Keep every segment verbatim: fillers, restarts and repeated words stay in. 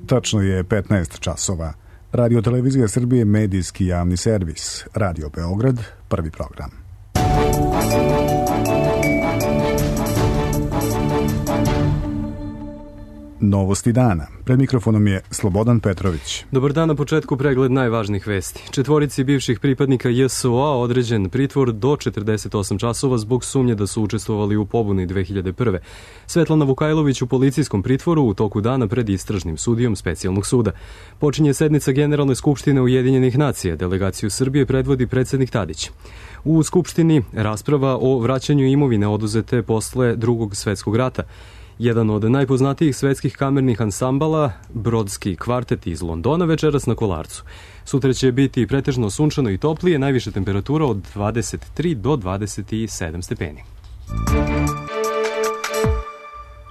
Tačno je petnaest časova. Radio Televizija Srbije, medijski javni servis. Radio Beograd, prvi program. Novosti dana. Pred mikrofonom je Slobodan Petrović. Dobar dan, na početku pregled najvažnijih vesti. Četvorici bivših pripadnika J S O A određen pritvor do četrdeset osam časova zbog sumnje da su učestvovali u pobuni dve hiljade prve. Svetlana Vukajlović u policijskom pritvoru u toku dana pred istražnim sudijom specijalnog suda. Počinje sednica Generalne skupštine Ujedinjenih nacija. Delegaciju Srbije predvodi predsednik Tadić. U Skupštini rasprava o vraćanju imovine oduzete posle Drugog svetskog rata. Jedan od najpoznatijih svetskih kamernih ansambala, Brodski kvartet iz Londona, večeras na Kolarcu. Sutra će biti pretežno sunčano i toplije, najviša temperatura od dvadeset tri do dvadeset sedam stepeni.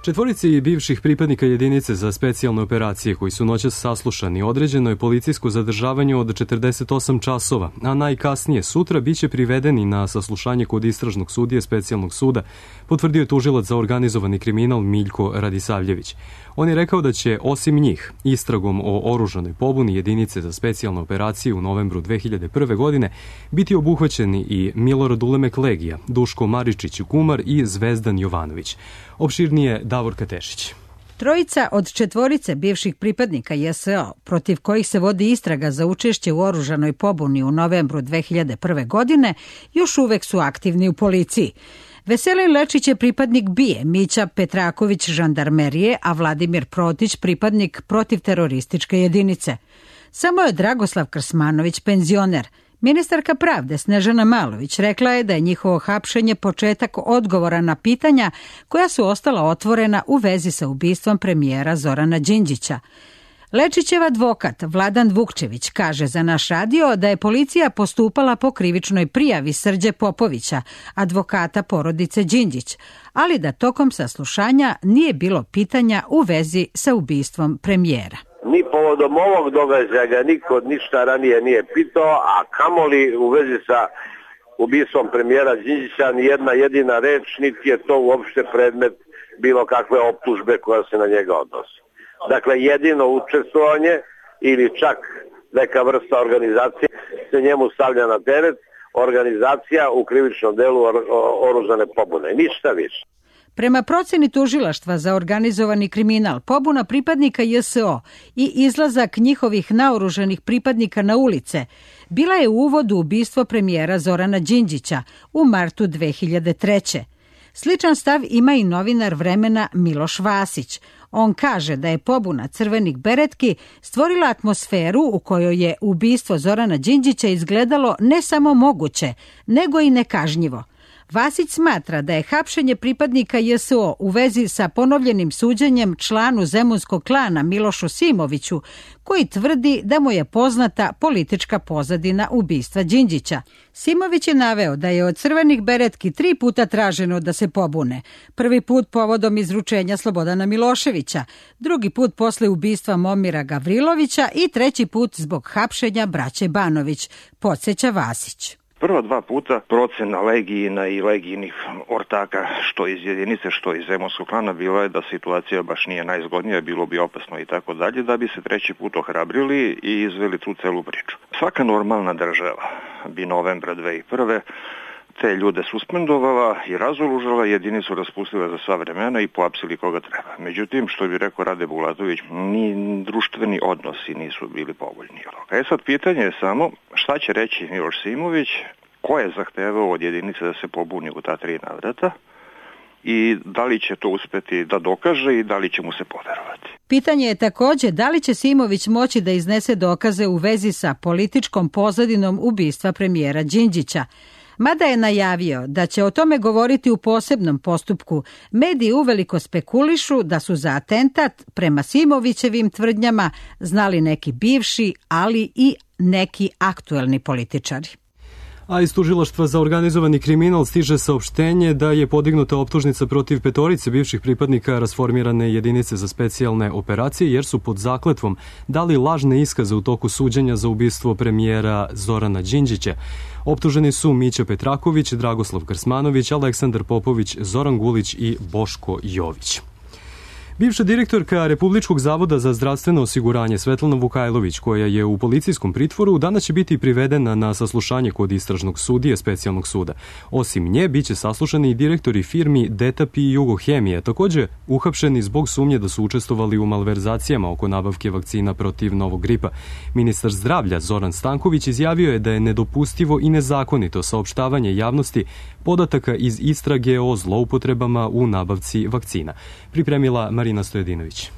Četvorici bivših pripadnika jedinice za specijalne operacije koji su noćas saslušani određeno je policijsko zadržavanje od četrdeset osam časova, a najkasnije sutra biće privedeni na saslušanje kod istražnog sudije specijalnog suda, potvrdio je tužilac za organizovani kriminal Miljko Radisavljević. On je rekao da će osim njih istragom o oružanoj pobuni jedinice za specijalne operacije u novembru dve hiljade prve. godine biti obuhvaćeni i Milorad Ulemek Legija, Duško Maričić Kumar i Zvezdan Jovanović. Opširnije Davor Katešić. Trojica od četvorice bivših pripadnika J S O, protiv kojih se vodi istraga za učešće u oružanoj pobuni u novembru dve hiljade prve. godine, još uvek su aktivni u policiji. Veselin Lečić je pripadnik B I E, Mića Petraković žandarmerije, a Vladimir Protić pripadnik protivterorističke jedinice. Samo je Dragoslav Krsmanović penzioner. Ministarka pravde Snežana Malović rekla je da je njihovo hapšenje početak odgovora na pitanja koja su ostala otvorena u vezi sa ubistvom premijera Zorana Đinđića. Lečićev advokat Vladan Vukčević kaže za naš radio da je policija postupala po krivičnoj prijavi Srđe Popovića, advokata porodice Đinđić, ali da tokom saslušanja nije bilo pitanja u vezi sa ubistvom premijera. Ni povodom ovog događaja ga niko ništa ranije nije pitao, a kamoli u vezi sa ubistvom premijera Đinđića ni jedna jedina reč, niti je to uopšte predmet bilo kakve optužbe koja se na njega odnosi. Dakle, jedino učestvovanje ili čak neka vrsta organizacije se njemu stavlja na teret, organizacija u krivičnom delu oružane pobune. Ništa više. Prema proceni tužilaštva za organizovani kriminal, pobuna pripadnika J S O i izlazak njihovih naoružanih pripadnika na ulice bila je uvod u ubistvo premijera Zorana Đinđića u martu dve hiljade treće. Sličan stav ima i novinar Vremena Miloš Vasić. On kaže da je pobuna crvenih beretki stvorila atmosferu u kojoj je ubistvo Zorana Đinđića izgledalo ne samo moguće, nego i nekažnjivo. Vasić smatra da je hapšenje pripadnika J S O u vezi sa ponovljenim suđenjem članu zemunskog klana Milošu Simoviću, koji tvrdi da mu je poznata politička pozadina ubistva Đinđića. Simović je naveo da je od crvenih beretki tri puta traženo da se pobune. Prvi put povodom izručenja Slobodana Miloševića, drugi put posle ubistva Momira Gavrilovića i treći put zbog hapšenja braće Banović, podsjeća Vasić. Prva dva puta procena Legijina i Legijinih ortaka, što iz jedinice, što iz zemunskog klana, bilo je da situacija baš nije najzgodnija, bilo bi opasno i tako dalje, da bi se treći put ohrabrili i izveli tu celu priču. Svaka normalna država bi novembra dve hiljade prve. te ljude suspendovala i razoružala, jedinicu raspustila za sva vremena i poapsili koga treba. Međutim, što bi rekao Rade Bulatović, ni društveni odnosi nisu bili povoljni. E sad, pitanje je samo šta će reći Miloš Simović, ko je zahtevao od jedinice da se pobuni u ta tri navrata i da li će to uspeti da dokaže i da li će mu se poverovati. Pitanje je također da li će Simović moći da iznese dokaze u vezi sa političkom pozadinom ubistva premijera Đinđića. Mada je najavio da će o tome govoriti u posebnom postupku, mediji uveliko spekulišu da su za atentat prema Simovićevim tvrdnjama znali neki bivši, ali i neki aktuelni političari. A iz tužilaštva za organizovani kriminal stiže saopštenje da je podignuta optužnica protiv petorice bivših pripadnika rasformirane jedinice za specijalne operacije jer su pod zakletvom dali lažne iskaze u toku suđenja za ubistvo premijera Zorana Đinđića. Optuženi su Mića Petraković, Dragoslav Krsmanović, Aleksandar Popović, Zoran Gulić i Boško Jović. Bivša direktorka Republičkog zavoda za zdravstveno osiguranje Svetlana Vukajlović, koja je u policijskom pritvoru, danas će biti privedena na saslušanje kod istražnog sudije specijalnog suda. Osim nje, bit će saslušani i direktori firmi Detap i Jugohemije, takođe uhapšeni zbog sumnje da su učestvovali u malverzacijama oko nabavke vakcina protiv novog gripa. Ministar zdravlja Zoran Stanković izjavio je da je nedopustivo i nezakonito saopštavanje javnosti podataka iz istrage o zloupotrebama u nabavci vakcina. Pripremila Marina Stojedinović.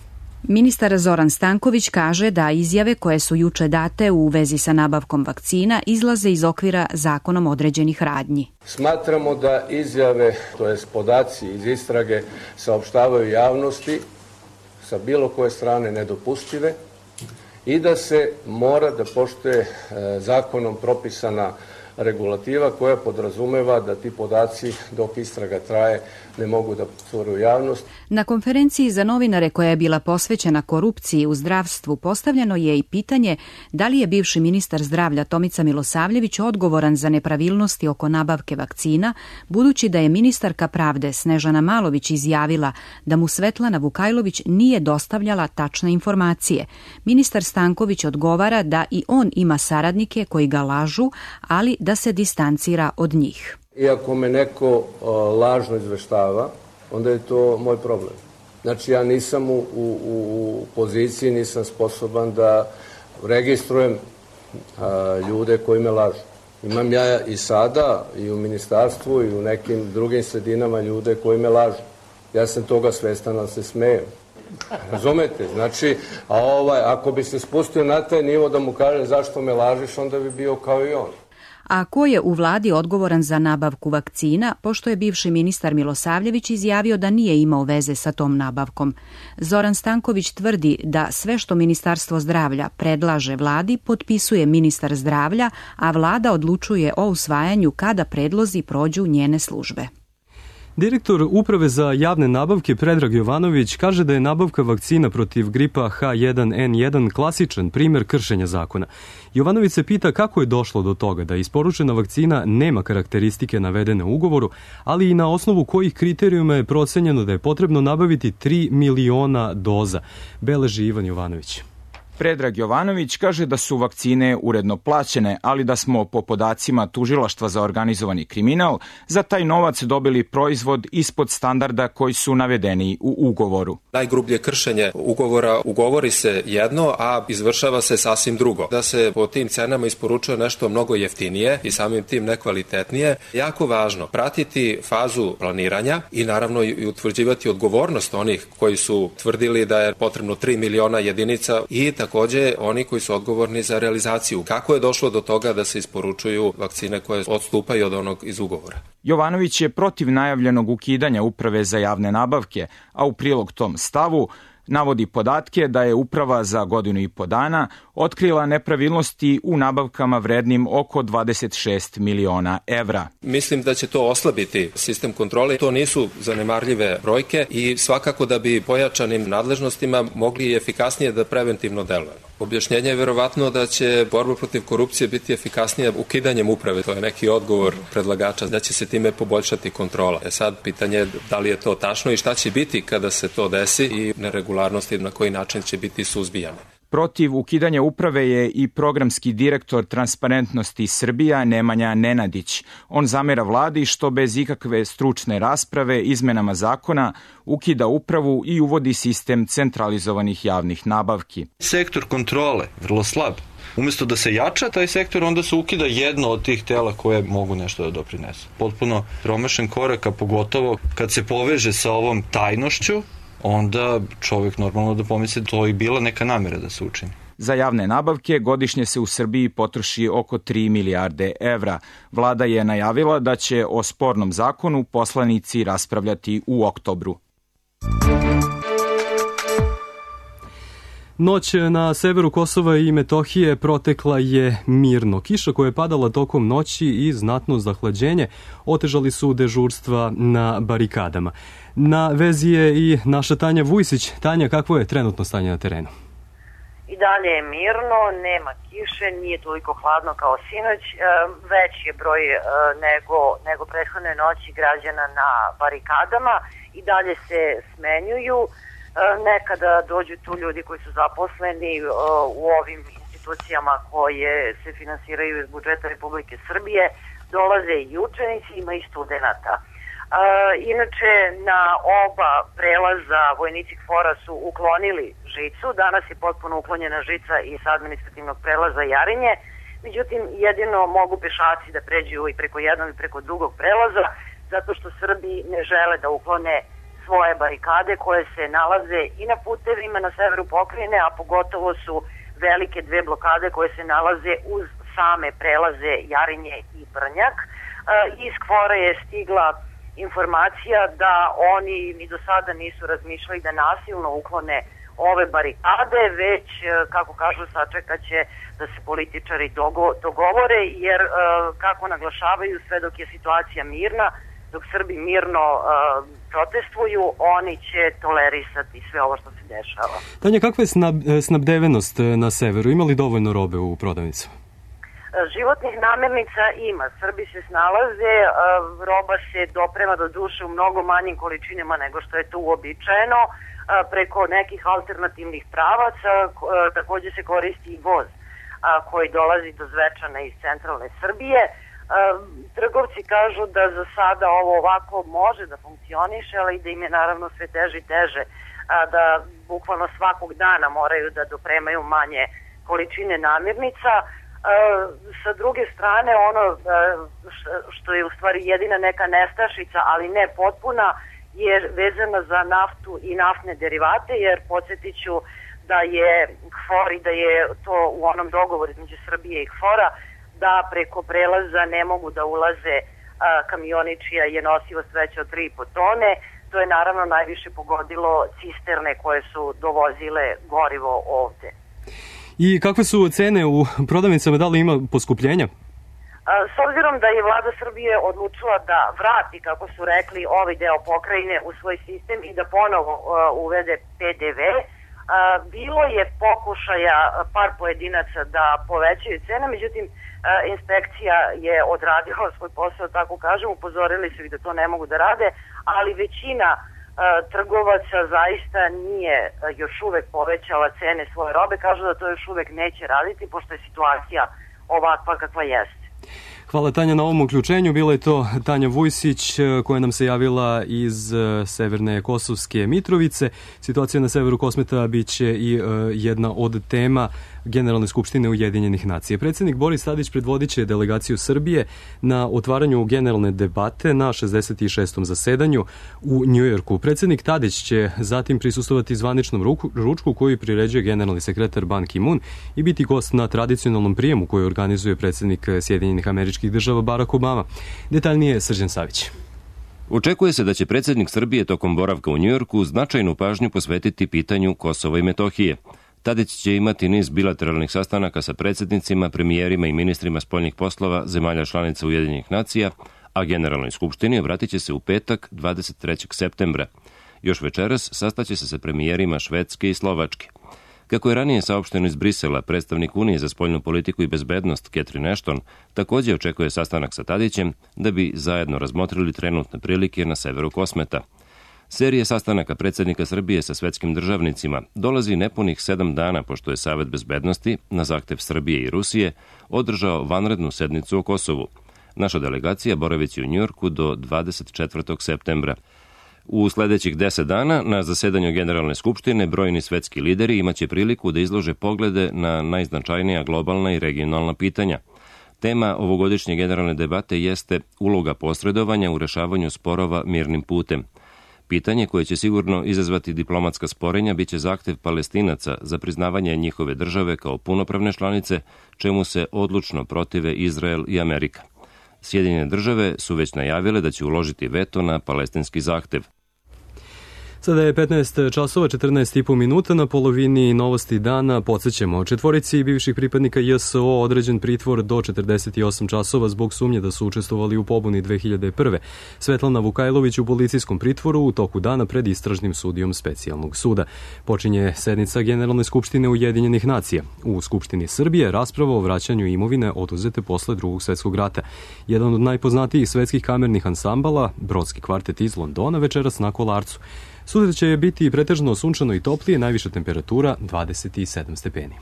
Ministar Zoran Stanković kaže da izjave koje su juče date u vezi sa nabavkom vakcina izlaze iz okvira zakonom određenih radnji. Smatramo da izjave, to jest podaci iz istrage, saopštavaju javnosti sa bilo koje strane nedopustive i da se mora da poštuje zakonom propisana regulativa koja podrazumeva da ti podaci dok istraga traje ne mogu da cure u javnost. Na konferenciji za novinare koja je bila posvećena korupciji u zdravstvu postavljeno je i pitanje da li je bivši ministar zdravlja Tomica Milosavljević odgovoran za nepravilnosti oko nabavke vakcina, budući da je ministarka pravde Snežana Malović izjavila da mu Svetlana Vukajlović nije dostavljala tačne informacije. Ministar Stanković odgovara da i on ima saradnike koji ga lažu, ali da se distancira od njih. Iako me neko uh, lažno izveštava, onda je to moj problem. Znači ja nisam u, u, u poziciji, nisam sposoban da registrujem uh, ljude koji me lažu. Imam ja i sada i u ministarstvu i u nekim drugim sredinama ljude koji me lažu. Ja sam toga svestan, ali se smejem. Razumete? Znači, a ovaj, ako bi se spustio na taj nivo da mu kaže zašto me lažiš, onda bi bio kao i on. A ko je u vladi odgovoran za nabavku vakcina, pošto je bivši ministar Milosavljević izjavio da nije imao veze sa tom nabavkom? Zoran Stanković tvrdi da sve što Ministarstvo zdravlja predlaže vladi potpisuje ministar zdravlja, a vlada odlučuje o usvajanju kada predlozi prođu njene službe. Direktor Uprave za javne nabavke Predrag Jovanović kaže da je nabavka vakcina protiv gripa H jedan N jedan klasičan primer kršenja zakona. Jovanović se pita kako je došlo do toga da isporučena vakcina nema karakteristike navedene u ugovoru, ali i na osnovu kojih kriterijuma je procenjeno da je potrebno nabaviti tri miliona doza. Beleži Ivan Jovanović. Predrag Jovanović kaže da su vakcine uredno plaćene, ali da smo po podacima Tužilaštva za organizovani kriminal za taj novac dobili proizvod ispod standarda koji su navedeni u ugovoru. Najgrublje kršenje ugovora, ugovori se jedno, a izvršava se sasvim drugo. Da se po tim cenama isporučuje nešto mnogo jeftinije i samim tim nekvalitetnije. Jako važno pratiti fazu planiranja i naravno i utvrđivati odgovornost onih koji su tvrdili da je potrebno tri miliona jedinica i takođe oni koji su odgovorni za realizaciju. Kako je došlo do toga da se isporučuju vakcine koje odstupaju od onog iz ugovora? Jovanović je protiv najavljenog ukidanja Uprave za javne nabavke, a u prilog tom stavu navodi podatke da je Uprava za godinu i po dana otkrila nepravilnosti u nabavkama vrednim oko dvadeset šest miliona evra. Mislim da će to oslabiti sistem kontrole. To nisu zanemarljive brojke i svakako da bi pojačanim nadležnostima mogli efikasnije da preventivno delujemo. Objašnjenje je verovatno da će borba protiv korupcije biti efikasnija ukidanjem uprave. To je neki odgovor predlagača da će se time poboljšati kontrola. E sad, pitanje je da li je to tačno i šta će biti kada se to desi i neregularnosti na koji način će biti suzbijane. Protiv ukidanja uprave je i programski direktor Transparentnosti Srbija Nemanja Nenadić. On zamera vladi što bez ikakve stručne rasprave izmenama zakona ukida upravu i uvodi sistem centralizovanih javnih nabavki. Sektor kontrole, vrlo slab. Umesto da se jača taj sektor, onda se ukida jedno od tih tela koje mogu nešto da doprinesu. Potpuno promašen korak, a pogotovo kad se poveže sa ovom tajnošću, onda čovjek normalno da pomisli da to i bila neka namera da se učini. Za javne nabavke godišnje se u Srbiji potroši oko tri milijarde evra. Vlada je najavila da će o spornom zakonu poslanici raspravljati u oktobru. Noć na severu Kosova i Metohije protekla je mirno. Kiša koja je padala tokom noći i znatno zahlađenje otežali su dežurstva na barikadama. Na vezi je i naša Tanja Vujsić. Tanja, kakvo je trenutno stanje na terenu? I dalje je mirno, nema kiše, nije toliko hladno kao sinoć. Veći je broj nego, nego prethodne noći građana na barikadama i dalje se smenjuju. Nekada dođu tu ljudi koji su zaposleni u ovim institucijama koje se finansiraju iz budžeta Republike Srbije, dolaze i učenici, ima i studenta. Inače, na oba prelaza vojnici KFOR-a su uklonili žicu, danas je potpuno uklonjena žica i sa administrativnog prelaza Jarinje, međutim jedino mogu pešaci da pređu i preko jednog i preko drugog prelaza, zato što Srbi ne žele da uklone svoje barikade koje se nalaze i na putevima na severu pokrajine, a pogotovo su velike dve blokade koje se nalaze uz same prelaze Jarinje i Brnjak. Iz KFOR-a je stigla informacija da oni ni do sada nisu razmišljali da nasilno uklone ove barikade, već, kako kažu, sačekat će da se političari dogovore, jer, kako naglašavaju, sve dok je situacija mirna, dok Srbi mirno uh, protestuju, oni će tolerisati sve ovo što se dešava. Tanja, kakva je snab, snabdevenost na severu? Ima li dovoljno robe u prodavnicama? Životnih namirnica ima. Srbi se snalaze, uh, roba se doprema do duše u mnogo manjim količinama nego što je to uobičajeno, uh, preko nekih alternativnih pravaca, uh, takođe se koristi i voz uh, koji dolazi do Zvečana iz centralne Srbije. Trgovci kažu da za sada ovo ovako može da funkcioniše, ali da im je naravno sve teže i teže, da bukvalno svakog dana moraju da dopremaju manje količine namirnica. Sa druge strane, ono što je u stvari jedina neka nestašica, ali ne potpuna, je vezana za naftu i naftne derivate, jer podsjetit ću da je KFOR i da je to u onom dogovoru između Srbije i KFOR-a da preko prelaza ne mogu da ulaze a, kamioni čija je nosivost veća od tri i po tone. To je naravno najviše pogodilo cisterne koje su dovozile gorivo ovde. I kakve su cene u prodavnicama, da li ima poskupljenja? A, s obzirom da je vlada Srbije odlučila da vrati, kako su rekli, ovaj deo pokrajine u svoj sistem i da ponovo a, uvede P D V, a, bilo je pokušaja par pojedinaca da povećaju cene, međutim inspekcija je odradila svoj posao, tako kažem, upozorili su ih da to ne mogu da rade, ali većina uh, trgovaca zaista nije uh, još uvek povećala cene svoje robe, kažu da to još uvek neće raditi, pošto je situacija ovakva kakva jeste. Hvala, Tanja, na ovom uključenju. Bila je to Tanja Vujsić koja nam se javila iz severne Kosovske Mitrovice. Situacija na severu Kosmeta biće i jedna od tema Generalne skupštine Ujedinjenih nacija. Predsjednik Boris Tadić predvodit će delegaciju Srbije na otvaranju generalne debate na šezdeset šestom zasedanju u Njujorku. Predsjednik Tadić će zatim prisustovati zvaničnom ruku, ručku koju priređuje generalni sekretar Ban Ki-moon i biti gost na tradicionalnom prijemu koju organizuje predsjednik Sjedinjenih Američkih Država Barack Obama. Detaljnije Srđan Savić. Očekuje se da će predsjednik Srbije tokom boravka u Njujorku značajnu pažnju posvetiti pitanju Kosova i Metohije. Tadić će imati niz bilateralnih sastanaka sa predsjednicima, premijerima i ministrima spoljnih poslova zemalja članica Ujedinjenih nacija, a Generalnoj skupštini obratit će se u petak dvadeset trećeg septembra. Još večeras sastaće se sa premijerima Švedske i Slovačke. Kako je ranije saopšteno iz Brisela, predstavnik Unije za spoljnu politiku i bezbednost Catherine Ashton također očekuje sastanak sa Tadićem da bi zajedno razmotrili trenutne prilike na severu Kosmeta. Serije sastanaka predsjednika Srbije sa svetskim državnicima dolazi nepunih sedam dana pošto je Savet bezbednosti, na zahtev Srbije i Rusije, održao vanrednu sednicu o Kosovu. Naša delegacija boravići u Njujorku do dvadeset četvrtog septembra. U sljedećih deset dana na zasedanju Generalne skupštine brojni svetski lideri imaće priliku da izlože poglede na najznačajnija globalna i regionalna pitanja. Tema ovogodišnje generalne debate jeste uloga posredovanja u rešavanju sporova mirnim putem. Pitanje koje će sigurno izazvati diplomatska sporenja biće zahtev Palestinaca za priznavanje njihove države kao punopravne članice, čemu se odlučno protive Izrael i Amerika. Sjedinjene države su već najavile da će uložiti veto na palestinski zahtev. Sada je petnaest časova, četrnaest i po minuta, na polovini novosti dana. Podsjećamo, četvorici bivših pripadnika J S O određen pritvor do četrdeset osam časova zbog sumnje da su učestvovali u pobuni dve hiljade prve. Svetlana Vukajlović u policijskom pritvoru u toku dana pred istražnim sudijom specijalnog suda. Počinje sednica Generalne skupštine Ujedinjenih nacija. U Skupštini Srbije rasprava o vraćanju imovine oduzete posle drugog svetskog rata. Jedan od najpoznatijih svetskih kamernih ansambala, Brodski kvartet iz Londona, večeras na Kolarcu. Sutra će biti pretežno sunčano i toplije, najviša temperatura dvadeset sedam stepeni.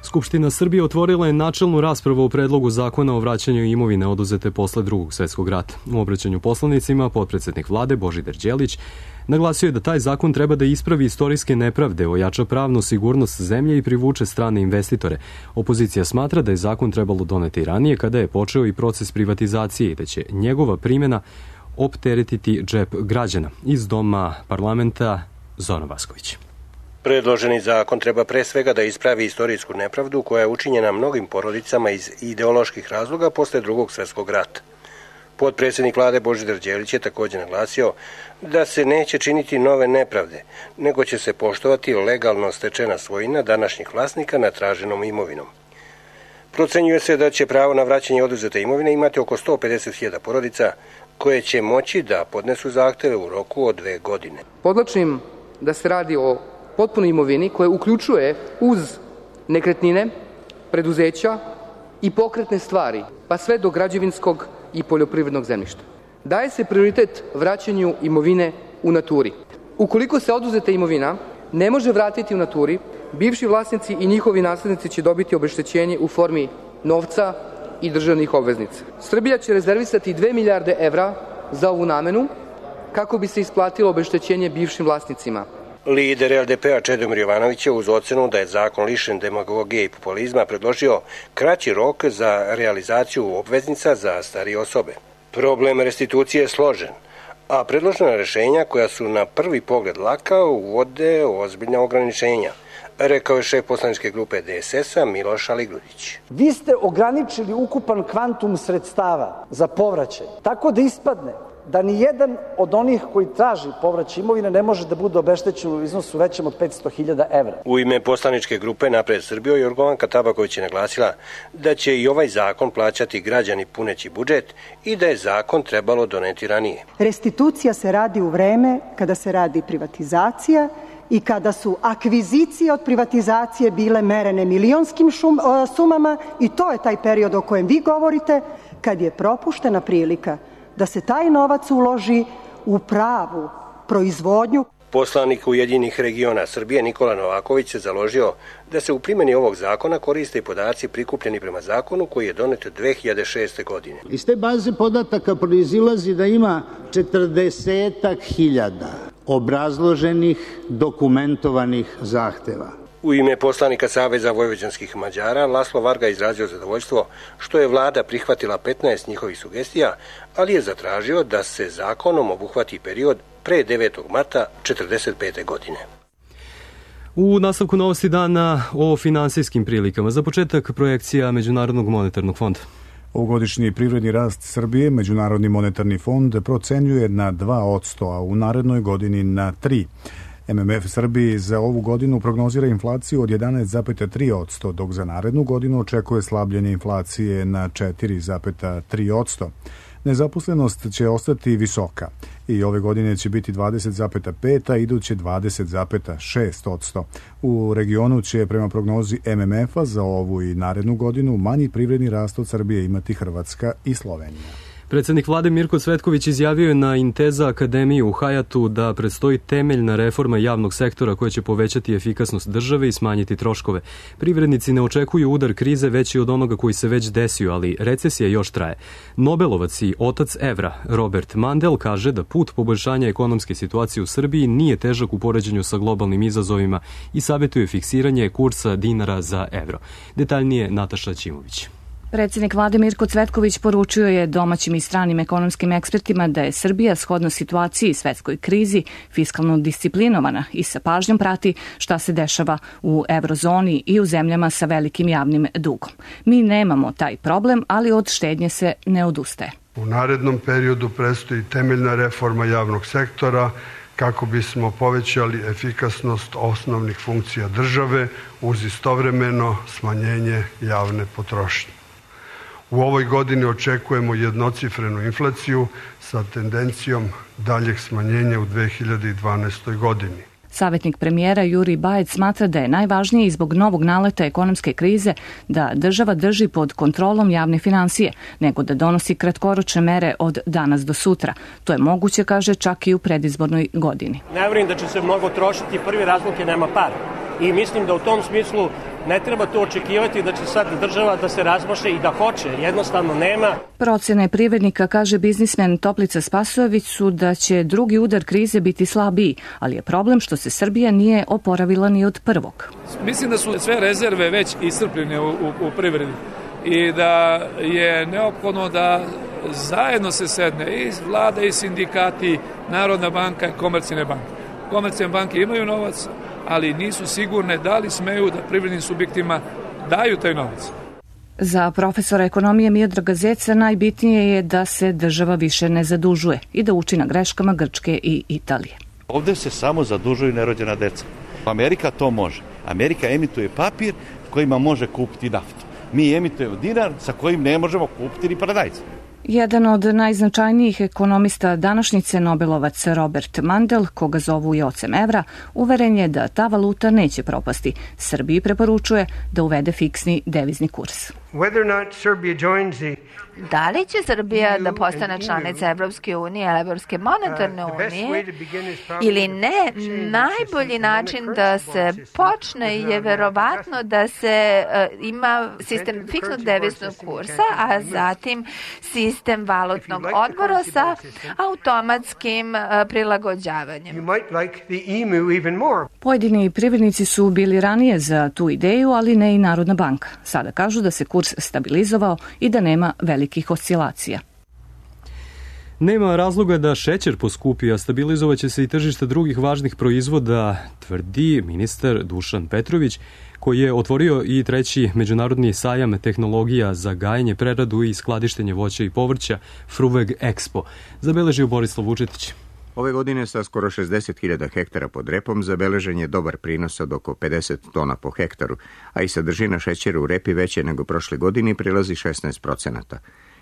Skupština Srbije otvorila je načelnu raspravu o predlogu zakona o vraćanju imovine oduzete posle Drugog svetskog rata. U obraćanju poslanicima potpredsednik vlade Božidar Đelić naglasio je da taj zakon treba da ispravi istorijske nepravde, ojača pravnu sigurnost zemlje i privuče strane investitore. Opozicija smatra da je zakon trebalo doneti ranije kada je počeo i proces privatizacije i da će njegova primjena opteretiti džep građana. Iz Doma parlamenta Zoran Vasković. Predloženi zakon treba pre svega da ispravi istorijsku nepravdu koja je učinjena mnogim porodicama iz ideoloških razloga posle Drugog svetskog rata. Potpredsjednik vlade Božidar Đelić je također naglasio da se neće činiti nove nepravde, nego će se poštovati legalno stečena svojina današnjih vlasnika nad traženom imovinom. Procenjuje se da će pravo na vraćanje oduzete imovine imati oko sto pedeset hiljada porodica koje će moći da podnesu zahteve u roku od dve godine. Podlačim da se radi o potpunoj imovini koja uključuje uz nekretnine, preduzeća i pokretne stvari, pa sve do građevinskog i poljoprivrednog zemljišta. Daje se prioritet vraćanju imovine u naturi. Ukoliko se oduzeta imovina ne može vratiti u naturi, bivši vlasnici i njihovi naslednici će dobiti obeštećenje u formi novca i državnih obveznica. Srbija će rezervisati dve milijarde evra za ovu namenu kako bi se isplatilo obeštećenje bivšim vlasnicima. Lider L D P-a Čedomir Jovanović je uz ocenu da je zakon lišen demagogije i populizma predložio kraći rok za realizaciju obveznica za starije osobe. Problem restitucije je složen, a predložena rešenja koja su na prvi pogled laka uvode ozbiljna ograničenja, rekao je šef poslaničke grupe D S S-a Miloš Aligrudić. Vi ste ograničili ukupan kvantum sredstava za povraćaj, tako da ispadne da ni jedan od onih koji traži povraćaj imovine ne može da bude obeštećen u iznosu većem od petsto hiljada evra. U ime poslaničke grupe Napred Srbiju Jorgovanka Tabaković je naglasila da će i ovaj zakon plaćati građani puneći budžet i da je zakon trebalo doneti ranije. Restitucija se radi u vreme kada se radi privatizacija i kada su akvizicije od privatizacije bile merene milionskim šum, sumama i to je taj period o kojem vi govorite, kad je propuštena prilika da se taj novac uloži u pravu proizvodnju. Poslanik Ujedinjenih regiona Srbije Nikola Novaković se založio da se u primjeni ovog zakona koriste i podaci prikupljeni prema zakonu koji je donet dve hiljade šeste. godine. Iz te baze podataka proizilazi da ima četrdesetak hiljada obrazloženih, dokumentovanih zahteva. U ime poslanika Saveza vojvođanskih Mađara Laslo Varga izrazio zadovoljstvo što je vlada prihvatila petnaest njihovih sugestija, ali je zatražio da se zakonom obuhvati period pre devetog marta četrdeset pete. godine. U nastavku novosti dana o finansijskim prilikama. Za početak projekcija Međunarodnog monetarnog fonda. Ovogodišnji privredni rast Srbije Međunarodni monetarni fond procenjuje na dva posto, a u narednoj godini na tri posto. M M F Srbiji za ovu godinu prognozira inflaciju od jedanaest zarez tri posto, dok za narednu godinu očekuje slabljenje inflacije na četiri zarez tri posto. Nezaposlenost će ostati visoka i ove godine će biti dvadeset zarez pet, a iduće dvadeset zarez šest posto. U regionu će prema prognozi M M F-a za ovu i narednu godinu manji privredni rast od Srbije imati Hrvatska i Slovenija. Predsednik vlade Mirko Cvetković izjavio je na Inteza akademiji u Hajatu da predstoji temeljna reforma javnog sektora koja će povećati efikasnost države i smanjiti troškove. Privrednici ne očekuju udar krize veći od onoga koji se već desio, ali recesija još traje. Nobelovac i otac evra Robert Mandel kaže da put poboljšanja ekonomske situacije u Srbiji nije težak u poređenju sa globalnim izazovima i savjetuje fiksiranje kursa dinara za evro. Detaljnije Nataša Ćimović. Predsjednik vlade Mirko Cvetković poručio je domaćim i stranim ekonomskim ekspertima da je Srbija shodno situaciji i svetskoj krizi fiskalno disciplinovana i sa pažnjom prati šta se dešava u eurozoni i u zemljama sa velikim javnim dugom. Mi nemamo taj problem, ali od štednje se ne odustaje. U narednom periodu predstoji temeljna reforma javnog sektora kako bismo povećali efikasnost osnovnih funkcija države uz istovremeno smanjenje javne potrošnje. U ovoj godini očekujemo jednocifrenu inflaciju sa tendencijom daljeg smanjenja u dve hiljade dvanaestoj. godini. Savjetnik premijera Jurij Bajec smatra da je najvažnije i zbog novog naleta ekonomske krize da država drži pod kontrolom javne financije, nego da donosi kratkoročne mere od danas do sutra. To je moguće, kaže, čak i u predizbornoj godini. Ne vjerujem da će se mnogo trošiti, prvi razlog je nema para. I mislim da u tom smislu ne treba to očekivati da će sad država da se razmaše i da hoće, jednostavno nema. Procene privrednika, kaže biznismen Toplica Spasojević, su da će drugi udar krize biti slabiji, ali je problem što se Srbija nije oporavila ni od prvog. Mislim da su sve rezerve već iscrpljene u, u, u privredi i da je neophodno da zajedno se sedne i vlada i sindikati, Narodna banka i komercijalne banke. Komercijalne banke imaju novac, ali nisu sigurne da li smeju da privrednim subjektima daju taj novac. Za profesora ekonomije Miodraga Zeca najbitnije je da se država više ne zadužuje i da uči na greškama Grčke i Italije. Ovde se samo zadužuju nerođena deca. Amerika to može. Amerika emituje papir kojima može kupiti naftu. Mi emitujemo dinar sa kojim ne možemo kupiti ni paradajz. Jedan od najznačajnijih ekonomista današnjice, Nobelovac Robert Mandel, koga zovu i ocem evra, uveren je da ta valuta neće propasti. Srbiji preporučuje da uvede fiksni devizni kurs. Da li će Srbija da postane članica Evropske unije ili Evropske monetarne unije ili ne, najbolji način da se počne je verovatno da se uh, ima sistem fiksnog deviznog kursa, a zatim sistem valutnog odbora sa automatskim uh, prilagođavanjem. Pojedini privrednici su bili ranije za tu ideju, ali ne i Narodna banka. Sada kažu da se kurs stabilizovao i da nema velikih oscilacija. Nema razloga da šećer poskupi, a stabilizovaće se i tržište drugih važnih proizvoda, tvrdi ministar Dušan Petrović, koji je otvorio i treći međunarodni sajam tehnologija za gajenje, preradu i skladištenje voća i povrća Fruveg Expo, zabeležio Borislav Vučetić. Ove godine sa skoro šezdeset hiljada hektara pod repom zabeležen je dobar prinos od oko pedeset tona po hektaru, a i sadržina šećera u repi veće nego prošle godine prilazi šesnaest procenata.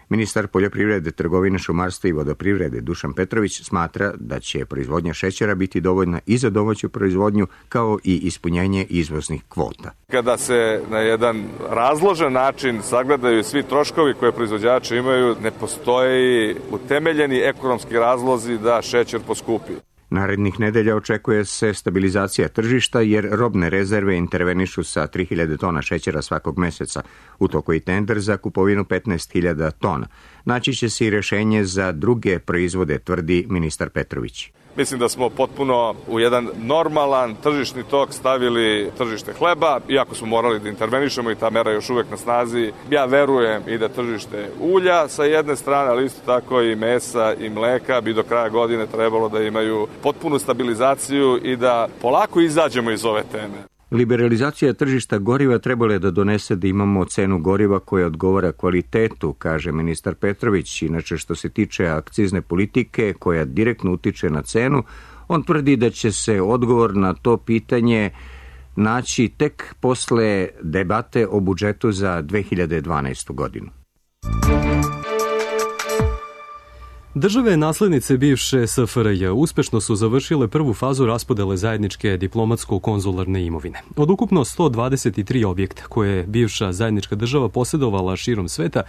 Ministar poljoprivrede, trgovine, šumarstva i vodoprivrede Dušan Petrović smatra da će proizvodnja šećera biti dovoljna i za domaću proizvodnju kao i ispunjenje izvoznih kvota. Kada se na jedan razložen način sagledaju svi troškovi koje proizvođači imaju, ne postoji utemeljeni ekonomski razlozi da šećer poskupi. Narednih nedelja očekuje se stabilizacija tržišta jer robne rezerve intervenišu sa tri hiljade tona šećera svakog meseca. U toku i tender za kupovinu petnaest hiljada tona. Naći će se i rešenje za druge proizvode, tvrdi ministar Petrović. Mislim da smo potpuno u jedan normalan tržišni tok stavili tržište hleba, iako smo morali da intervenišemo i ta mera je još uvek na snazi. Ja verujem i da tržište ulja sa jedne strane, ali isto tako i mesa i mleka bi do kraja godine trebalo da imaju potpunu stabilizaciju i da polako izađemo iz ove teme. Liberalizacija tržišta goriva trebala je da donese da imamo cenu goriva koja odgovara kvalitetu, kaže ministar Petrović. Inače, što se tiče akcizne politike koja direktno utiče na cenu, on tvrdi da će se odgovor na to pitanje naći tek posle debate o budžetu za dve hiljade dvanaestu godinu. Države naslednice bivše S F R J uspešno su završile prvu fazu raspodele zajedničke diplomatsko-konzularne imovine. Od ukupno sto dvadeset tri objekta koje je bivša zajednička država posjedovala širom sveta,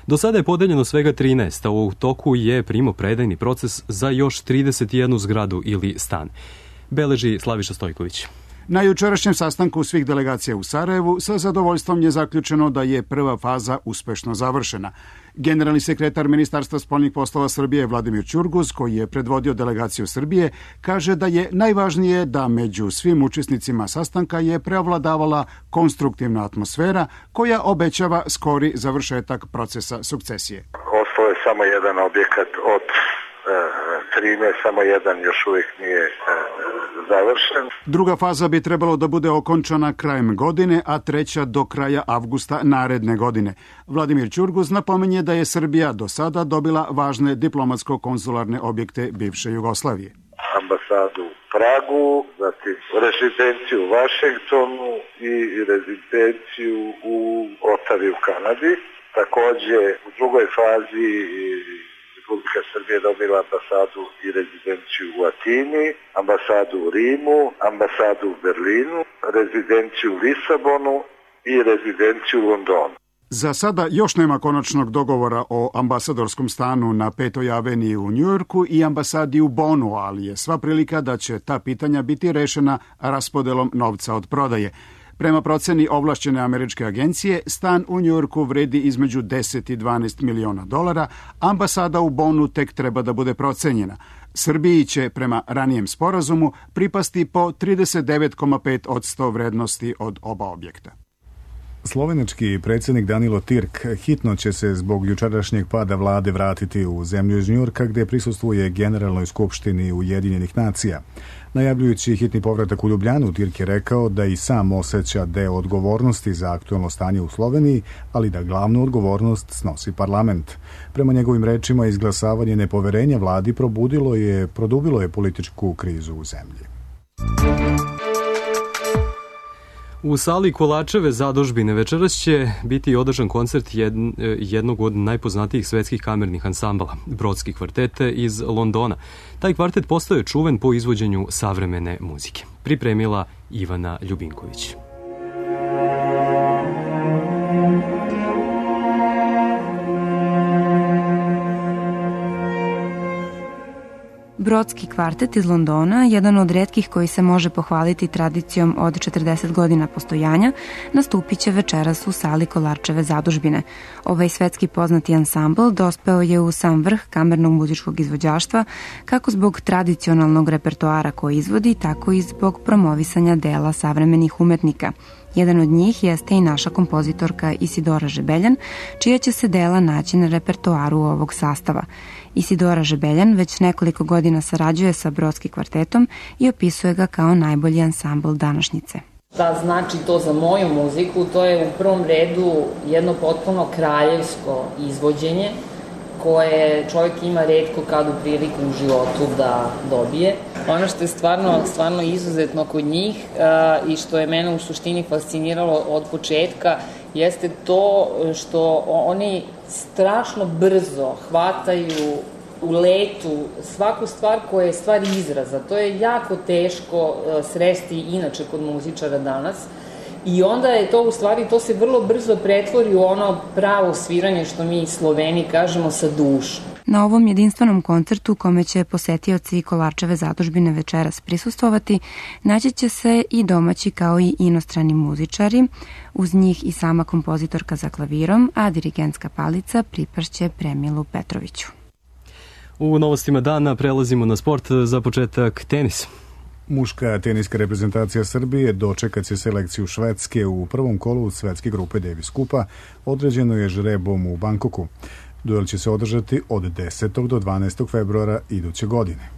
do sada je podeljeno svega trinaest, a u toku je primopredajni proces za još trideset jednu zgradu ili stan. Beleži Slaviša Stojković. Na jučerašnjem sastanku svih delegacija u Sarajevu sa zadovoljstvom je zaključeno da je prva faza uspešno završena. Generalni sekretar Ministarstva spoljnih poslova Srbije Vladimir Ćurguz, koji je predvodio delegaciju Srbije, kaže da je najvažnije da među svim učesnicima sastanka je preovladavala konstruktivna atmosfera koja obećava skori završetak procesa sukcesije. Ostao je samo jedan objekat od trinaest, samo jedan još uvijek nije završen. Druga faza bi trebalo da bude okončana krajem godine, a treća do kraja avgusta naredne godine. Vladimir Ćurguz napominje da je Srbija do sada dobila važne diplomatsko-konzularne objekte bivše Jugoslavije. Ambasadu u Pragu, zatim rezidenciju u Vašingtonu i rezidenciju u Otavi u Kanadi. Takođe u drugoj fazi Republika Srbije dobila ambasadu i rezidenciju u Atini, ambasadu u Rimu, ambasadu u Berlinu, rezidenciju u Lisabonu i rezidenciju u Londonu. Za sada još nema konačnog dogovora o ambasadorskom stanu na Petoj aveniji u Njujorku i ambasadi u Bonu, ali je sva prilika da će ta pitanja biti rešena raspodelom novca od prodaje. Prema proceni ovlašćene američke agencije, stan u Njujorku vredi između deset i dvanaest miliona dolara, ambasada u Bonu tek treba da bude procenjena. Srbiji će, prema ranijem sporazumu, pripasti po trideset devet zarez pet posto vrednosti od oba objekta. Slovenački predsjednik Danilo Tirk hitno će se zbog jučerašnjeg pada vlade vratiti u zemlju iz Njujorka gdje prisustvuje Generalnoj skupštini Ujedinjenih nacija. Najavljujući hitni povratak u Ljubljanu, Tirk je rekao da i sam osjeća deo odgovornosti za aktuelno stanje u Sloveniji, ali da glavnu odgovornost snosi parlament. Prema njegovim rečima, izglasavanje nepoverenja vladi probudilo je, produbilo je političku krizu u zemlji. U sali Kolačeve zadužbine večeras će biti održan koncert jednog od najpoznatijih svetskih kamernih ansambala, Brodski kvartet iz Londona. Taj kvartet postao je čuven po izvođenju savremene muzike. Pripremila Ivana Ljubinković. Brodski kvartet iz Londona, jedan od retkih koji se može pohvaliti tradicijom od četrdeset godina postojanja, nastupit će večeras u sali Kolarčeve zadužbine. Ovaj svetski poznati ansambl dospeo je u sam vrh kamernog muzičkog izvođaštva, kako zbog tradicionalnog repertoara koji izvodi, tako i zbog promovisanja dela savremenih umetnika. Jedan od njih jeste i naša kompozitorka Isidora Žebeljan, čija će se dela naći na repertoaru ovog sastava. Isidora Žebeljan već nekoliko godina sarađuje sa Brodski kvartetom i opisuje ga kao najbolji ansambl današnjice. Da znači to za moju muziku, to je u prvom redu jedno potpuno kraljevsko izvođenje koje čovjek ima retko kad u priliku u životu da dobije. Ono što je stvarno, stvarno izuzetno kod njih uh, i što je mene u suštini fasciniralo od početka jeste to što oni strašno brzo hvataju u letu svaku stvar koja je stvar izraza. To je jako teško uh, sresti inače kod muzičara danas. I onda je to u stvari, to se vrlo brzo pretvori u ono pravo sviranje što mi Sloveni kažemo sa dušom. Na ovom jedinstvenom koncertu kome će posetioci Kolarčeve zadužbine večeras prisustvovati, naći će se i domaći kao i inostrani muzičari, uz njih i sama kompozitorka za klavirom, a dirigentska palica pripašće Premilu Petroviću. U novostima dana prelazimo na sport, za početak tenis. Muška teniska reprezentacija Srbije dočekat će selekciju Švedske u prvom kolu svetske grupe Davis Kupa, određeno je žrebom u Bankoku. Duel će se održati od desetog do dvanaestog februara iduće godine.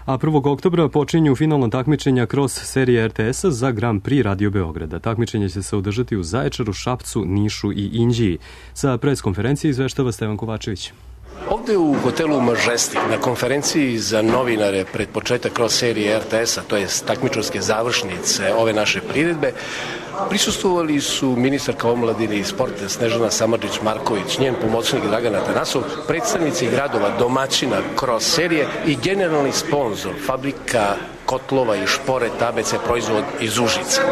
A prvog oktobra počinju finalna takmičenja kroz serije er te es-a za Grand Prix Radio Beograda. Takmičenje će se održati u Zaječaru, Šapcu, Nišu i Inđiji. Sa preskonferencije izveštava Stevan Kovačević. Ovde u hotelu Majestic na konferenciji za novinare pred početak kroz serije er te es-a, to je takmičarske završnice ove naše priredbe, prisustvovali su ministarka omladine i sporta Snežana Samardžić-Marković, njen pomoćnik Dragan Atanasov, predstavnici gradova domaćina kroz serije i generalni sponzor fabrika kotlova i špore tablice proizvod iz Užica.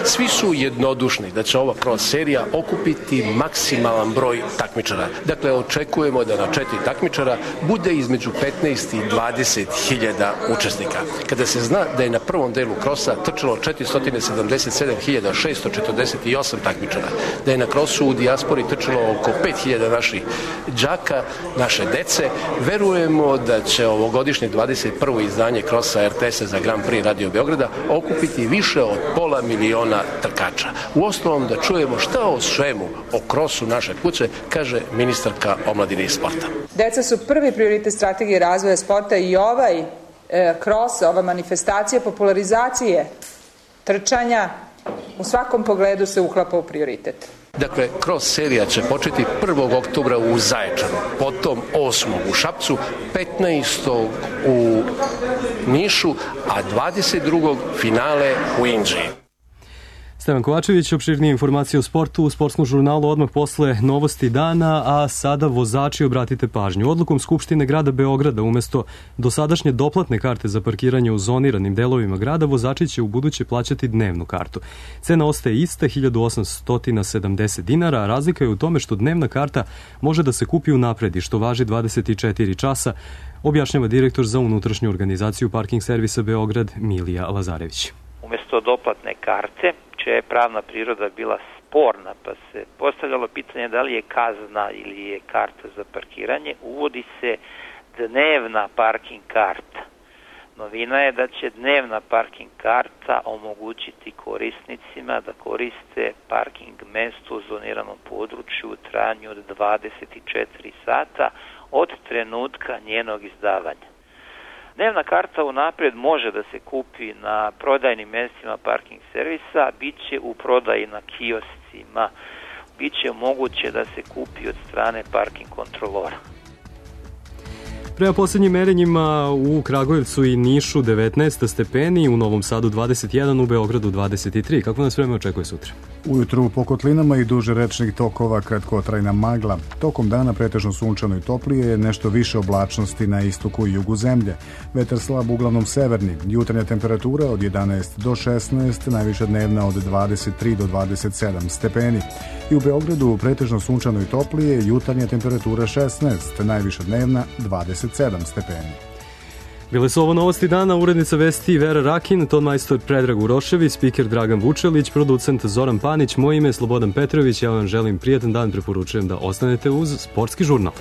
Svi su jednodušni da će ova cross serija okupiti maksimalan broj takmičara. Dakle, očekujemo da na četiri takmičara bude između petnaest i dvadeset hiljada učesnika. Kada se zna da je na prvom delu krosa trčalo četiristo sedamdeset sedam hiljada šesto četrdeset osam takmičara, da je na krosu u dijaspori trčalo oko pet hiljada naših đaka, naše dece, verujemo da će ovogodišnje dvadeset prvo izdanje krosa er te es-a za Grand Prix Radio Beograda okupiti više od pola miliona trkača. U osnovom da čujemo šta o svemu, o krosu naše kuće, kaže ministarka omladine i sporta. Deca su prvi prioritet strategije razvoja sporta i ovaj e, kros, ova manifestacija popularizacije trčanja u svakom pogledu se uklapa u prioritet. Dakle, cross serija će početi prvog oktobra u Zaječaru, potom osmog u Šapcu, petnaestog u Nišu, a dvadeset drugog finale u Inđiji. Stevan Kovačević, opširnije informacije o sportu u sportskom žurnalu odmah posle novosti dana, a sada vozači obratite pažnju. Odlukom Skupštine grada Beograda umesto dosadašnje doplatne karte za parkiranje u zoniranim delovima grada, vozači će u buduće plaćati dnevnu kartu. Cena ostaje ista, hiljadu osamsto sedamdeset dinara, a razlika je u tome što dnevna karta može da se kupi unapred i što važi dvadeset četiri časa, objašnjava direktor za unutrašnju organizaciju Parking servisa Beograd Milija Lazarević. Umesto doplatne karte, čija je pravna priroda bila sporna, pa se postavljalo pitanje da li je kazna ili je karta za parkiranje, uvodi se dnevna parking karta. Novina je da će dnevna parking karta omogućiti korisnicima da koriste parking mesto u zoniranom području u trajanju od dvadeset četiri sata od trenutka njenog izdavanja. Dnevna karta unapred može da se kupi na prodajnim mestima parking servisa, bit će u prodaji na kioscima, bit će moguće da se kupi od strane parking kontrolora. Prema poslednjim merenjima u Kragujevcu i Nišu devetnaest stepeni, u Novom Sadu dvadeset jedan, u Beogradu dvadeset tri. Kako nas vreme očekuje sutra? Ujutru po kotlinama i duže rečnih tokova kratkotrajna magla. Tokom dana pretežno sunčano i toplije, nešto više oblačnosti na istoku i jugu zemlje. Vetar slab uglavnom severni. Jutarnja temperatura od jedanaest do šesnaest, najviša dnevna od dvadeset tri do dvadeset sedam stepeni. I u Beogradu pretežno sunčano i toplije, jutarnja temperatura šesnaest, najviša dnevna dvadeset sedam stepeni. Bile su ovo novosti dana, urednica vesti Vera Rakin, ton majstor Predrag Urošević, spiker Dragan Vučelić, producent Zoran Panić, moje ime je Slobodan Petrović, ja vam želim prijatan dan, preporučujem da ostanete uz Sportski žurnal.